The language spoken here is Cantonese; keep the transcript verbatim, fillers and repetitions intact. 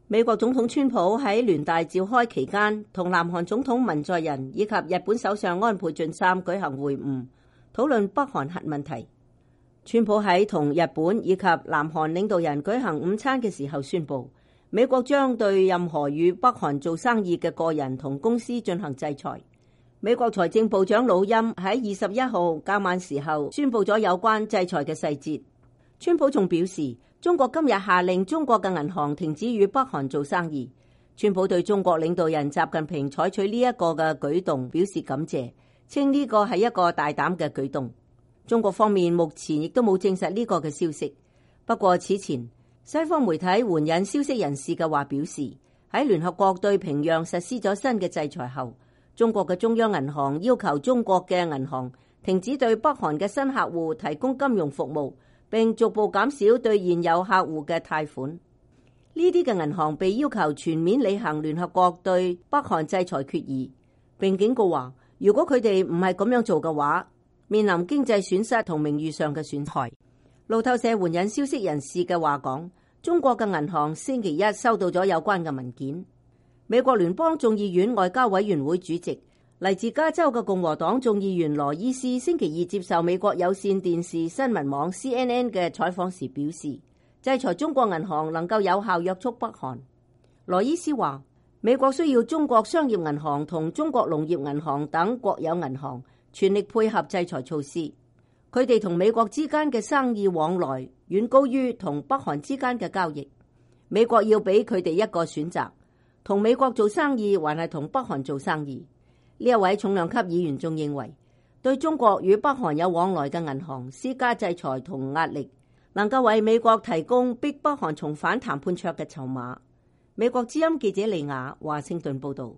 美國總統川普喺聯大召開期間，同南韓總統文在寅以及日本首相安倍晉三舉行會晤，討論北韓核問題。川普喺同日本以及南韓領導人舉行午餐嘅時候宣布，美國將對任何與北韓做生意嘅個人同公司進行制裁。美國財政部長魯欽喺二十一號較晚時候宣布咗有關制裁嘅細節。川普仲表示，中國今日下令中國嘅銀行停止與北韓做生意。川普對中國領導人習近平採取呢一個嘅舉動表示感謝，稱呢個係一個大膽嘅舉動。中國方面目前亦都冇證實呢個嘅消息。不過此前西方媒體援引消息人士嘅話表示，喺聯合國對平壤實施咗新嘅制裁後，中國嘅中央銀行要求中國嘅銀行停止對北韓嘅新客戶提供金融服務，並逐步減少對現有客戶嘅貸款。呢啲嘅銀行被要求全面履行聯合國對北韓制裁決議，並警告話，如果佢哋唔係咁樣做嘅話，面臨經濟損失同名譽上嘅損害。路透社援引消息人士嘅話講，中國嘅銀行星期一收到咗有關嘅文件。美國聯邦眾議院外交委員會主席嚟自加州嘅共和黨眾議員羅伊斯星期二接受美國有線電視新聞網 C N N 嘅採訪時表示，制裁中國銀行能夠有效約束北韓。羅伊斯話，美國需要中國商業銀行同中國農業銀行等國有銀行全力配合制裁措施。佢哋同美國之間嘅生意往來遠高於同北韓之間嘅交易。美國要俾佢哋一個選擇，同美國做生意還係同北韓做生意。呢一位重量級議員仲認為，對中國與北韓有往來嘅銀行施加制裁同壓力，能夠為美國提供逼北韓重返談判桌嘅籌碼。美國之音記者利亞華盛頓報道。